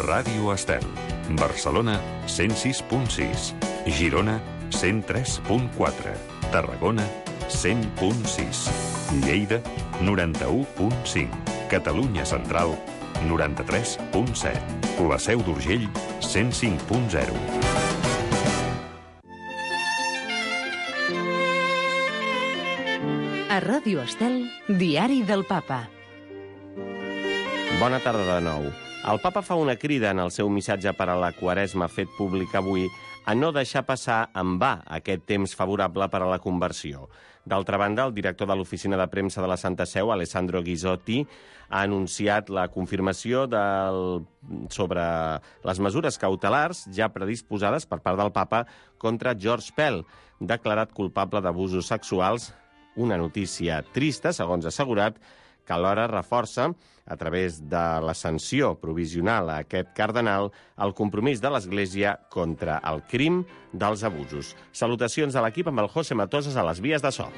Ràdio Estel. Barcelona, 106.6. Girona, 103.4. Tarragona, 100.6. Lleida, 91.5. Catalunya Central, 93.7. La Seu d'Urgell, 105.0. A Ràdio Estel, Diari del Papa. Bona tarda de nou. El Papa fa una crida en el seu missatge per a la Quaresma fet públic avui a no deixar passar en va aquest temps favorable per a la conversió. D'altra banda, el director de l'Oficina de Premsa de la Santa Seu, Alessandro Ghizotti, ha anunciat la confirmació sobre les mesures cautelars ja predisposades per part del Papa contra George Pell, declarat culpable d'abusos sexuals. Una notícia trista, segons ha assegurat, que alhora reforça, a través de la sanció provisional a aquest cardenal, el compromís de l'Església contra el crim dels abusos. Salutacions a l'equip amb el José Matosas a les vies de so.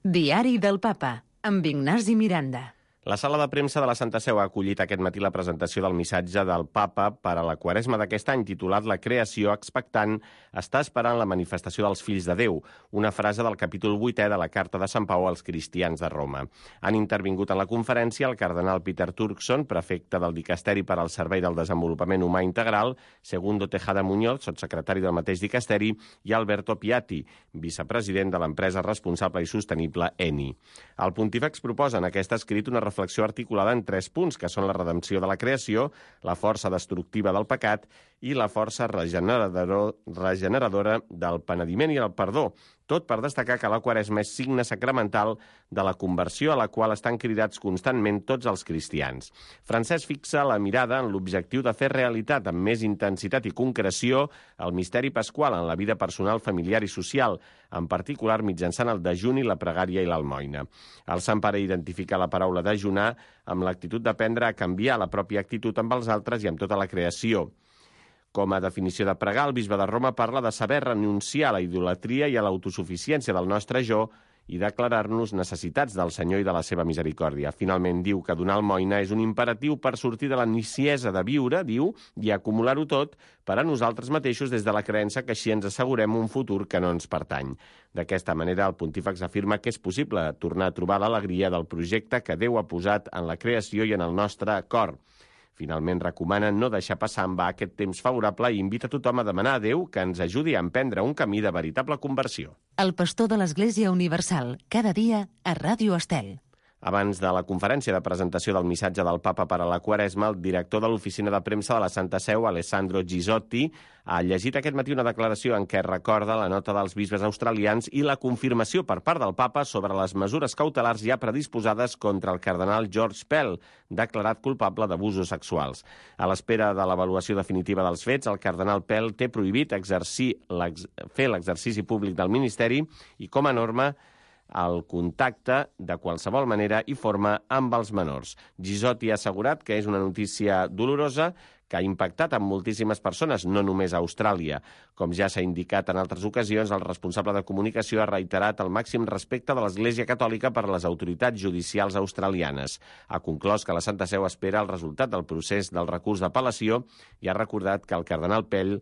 Diari del Papa, amb Ignasi Miranda. La sala de premsa de la Santa Seu ha acollit aquest matí la presentació del missatge del Papa per a la Quaresma d'aquest any, titulat La creació expectant està esperant la manifestació dels fills de Déu, una frase del capítol 8è de la Carta de Sant Pau als cristians de Roma. Han intervingut en la conferència el cardenal Peter Turkson, prefecte del Dicasteri per al Servei del Desenvolupament Humà Integral, Segundo Tejada Muñoz, sotssecretari del mateix Dicasteri, i Alberto Piatti, vicepresident de l'empresa responsable i sostenible ENI. El pontífex proposa en aquest escrit una reflexió articulada en 3 punts, que són la redempció de la creació, la força destructiva del pecat i la força regeneradora del penediment i el perdó, tot per destacar que la Quaresma és signe sacramental de la conversió a la qual estan cridats constantment tots els cristians. Francesc fixa la mirada en l'objectiu de fer realitat amb més intensitat i concreció el misteri pasqual en la vida personal, familiar i social, en particular mitjançant el dejuni, la pregària i l'almoina. El Sant Pare identifica la paraula dejunar amb l'actitud d'aprendre a canviar la pròpia actitud amb els altres i amb tota la creació. Com a definició de pregar, el bisbe de Roma parla de saber renunciar a la idolatria i a l'autosuficiència del nostre jo i declarar-nos necessitats del Senyor i de la seva misericòrdia. Finalment, diu que donar almoina és un imperatiu per sortir de la niciesa de viure, diu, i acumular-ho tot per a nosaltres mateixos des de la creença que així ens assegurem un futur que no ens pertany. D'aquesta manera, el pontífex afirma que és possible tornar a trobar l'alegria del projecte que Déu ha posat en la creació i en el nostre cor. Finalment, recomana no deixar passar en va aquest temps favorable i invita a tothom a demanar a Déu que ens ajudi a emprendre un camí de veritable conversió. El pastor de l'Església Universal, cada dia a Ràdio Estel. Abans de la conferència de presentació del missatge del Papa per a la Quaresma, el director de l'Oficina de Premsa de la Santa Seu, Alessandro Ghizotti, ha llegit aquest matí una declaració en què recorda la nota dels bisbes australians i la confirmació per part del Papa sobre les mesures cautelars ja predisposades contra el cardenal George Pell, declarat culpable d'abusos sexuals. A l'espera de l'avaluació definitiva dels fets, el cardenal Pell té prohibit fer l'exercici públic del ministeri i, com a norma, el contacte de qualsevol manera i forma amb els menors. Ghizotti ha assegurat que és una notícia dolorosa que ha impactat en moltíssimes persones, no només a Austràlia. Com ja s'ha indicat en altres ocasions, el responsable de comunicació ha reiterat el màxim respecte de l'Església Catòlica per a les autoritats judicials australianes. Ha conclòs que la Santa Seu espera el resultat del procés del recurs d'apel·lació i ha recordat que el cardenal Pell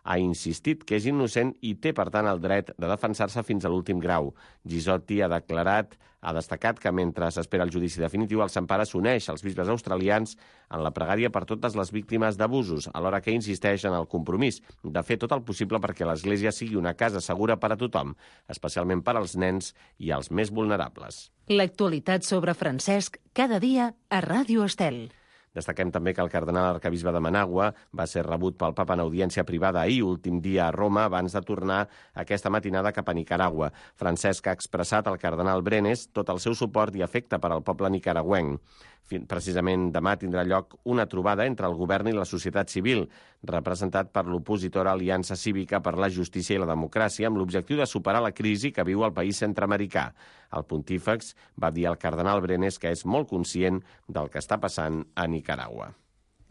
ha insistit que és innocent i té, per tant, el dret de defensar-se fins a l'últim grau. Ghizotti ha destacat que mentre s'espera el judici definitiu, el Sant Pare s'uneix als bisbes australians en la pregària per totes les víctimes d'abusos, alhora que insisteix en el compromís de fer tot el possible perquè l'Església sigui una casa segura per a tothom, especialment per als nens i als més vulnerables. L'actualitat sobre Francesc, cada dia a Ràdio Estel. Destaquem també que el cardenal arquebisbe de Managua va ser rebut pel Papa en audiència privada ahir, últim dia a Roma, abans de tornar aquesta matinada cap a Nicaragua. Francesc ha expressat al cardenal Brenes tot el seu suport i afecte per al poble nicaragüenc. Precisament demà tindrà lloc una trobada entre el govern i la societat civil, representat per l'opositora Aliança Cívica per la Justícia i la Democràcia, amb l'objectiu de superar la crisi que viu el país centreamericà. El pontífex va dir al cardenal Brenes que és molt conscient del que està passant a Nicaragua.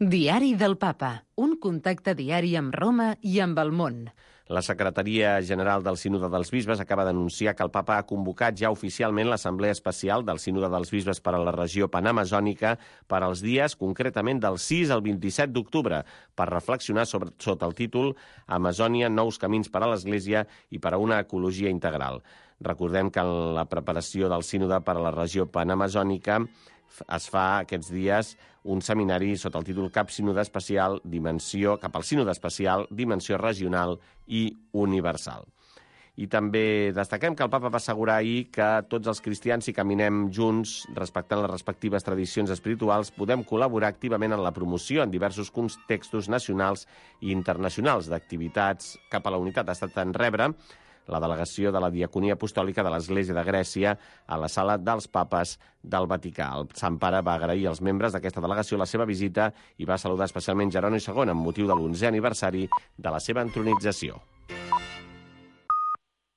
Diari del Papa, un contacte diari amb Roma i amb el món. La Secretaria General del Sínode dels Bisbes acaba d'anunciar que el papa ha convocat ja oficialment l'Assemblea Especial del Sínode dels Bisbes per a la regió panamazònica per als dies, concretament del 6 al 27 d'octubre, per reflexionar sota el títol Amazònia, nous camins per a l'Església i per a una ecologia integral. Recordem que en la preparació del Sínode per a la regió panamazònica es fa aquests dies un seminari sota el títol Cap Sínode Especial, cap al Sínode Especial, Dimensió Regional i Universal. I també destaquem que el papa va assegurar ahir que tots els cristians, si caminem junts, respectant les respectives tradicions espirituals, podem col·laborar activament en la promoció en diversos contextos nacionals i internacionals d'activitats cap a la unitat. Ha estat en rebre la delegació de la Diaconia Apostòlica de l'Església de Grècia a la Sala dels Papes del Vaticà. El Sant Pare va agrair als membres d'aquesta delegació la seva visita i va saludar especialment Jeroni II amb motiu de l'11è aniversari de la seva entronització.